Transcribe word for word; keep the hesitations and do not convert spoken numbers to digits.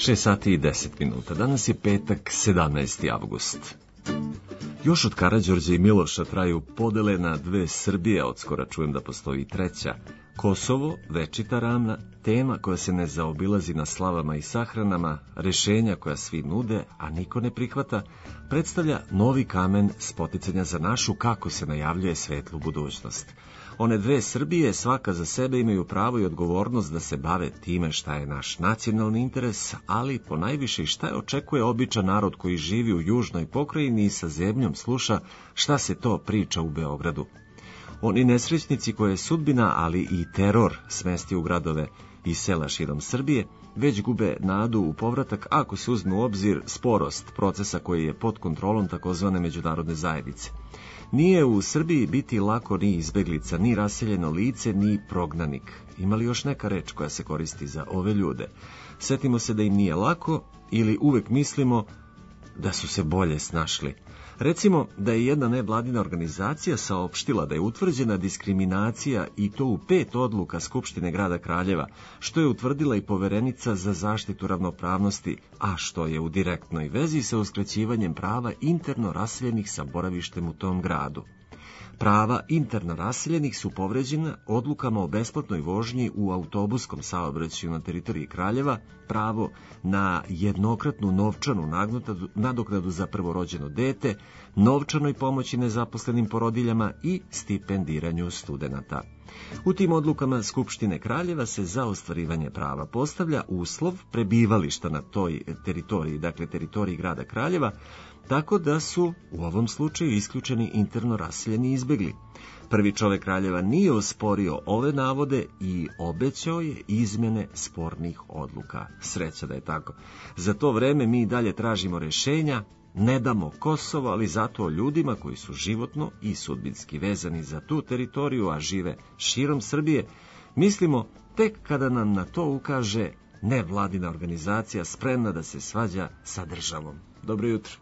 šest sati i deset minuta. Danas je petak, sedamnaesti avgust. Još od Karađorđa i Miloša traju podele na dve Srbije, od skora čujem da postoji treća. Kosovo, večita rana, tema koja se ne zaobilazi na slavama i sahranama, rešenja koja svi nude, a niko ne prihvata, predstavlja novi kamen spoticanja za našu, kako se najavljuje, svetlu budućnost. One dve Srbije svaka za sebe imaju pravo i odgovornost da se bave time šta je naš nacionalni interes, ali ponajviše i šta je očekuje običan narod koji živi u južnoj pokrajini i sa zemljom sluša šta se to priča u Beogradu. Oni nesrećnici koje je sudbina, ali i teror smesti u gradove i sela širom Srbije, već gube nadu u povratak ako se uzme u obzir sporost procesa koji je pod kontrolom takozvane međunarodne zajednice. Nije u Srbiji biti lako ni izbeglica, ni raseljeno lice, ni prognanik. Ima li još neka reč koja se koristi za ove ljude? Setimo se da im nije lako ili uvek mislimo da su se bolje snašli. Recimo da je jedna nevladina organizacija saopštila da je utvrđena diskriminacija i to u pet odluka Skupštine grada Kraljeva, što je utvrdila i Poverenica za zaštitu ravnopravnosti, a što je u direktnoj vezi sa uskraćivanjem prava interno raseljenih sa boravištem u tom gradu. Prava interno raseljenih su povređena odlukama o besplatnoj vožnji u autobuskom saobraćaju na teritoriji Kraljeva, pravo na jednokratnu novčanu nadoknadu za prvorođeno dete, novčanoj pomoći nezaposlenim porodiljama i stipendiranju studenata. U tim odlukama Skupštine Kraljeva se za ostvarivanje prava postavlja uslov prebivališta na toj teritoriji, dakle teritoriji grada Kraljeva, tako da su u ovom slučaju isključeni interno raseljeni izbegli. Prvi čovek Kraljeva nije osporio ove navode i obećao je izmene spornih odluka. Sreća da je tako. Za to vreme mi dalje tražimo rešenja, ne damo Kosovo, ali zato ljudima koji su životno i sudbinski vezani za tu teritoriju, a žive širom Srbije, mislimo tek kada nam na to ukaže nevladina organizacija spremna da se svađa sa državom. Dobro jutro.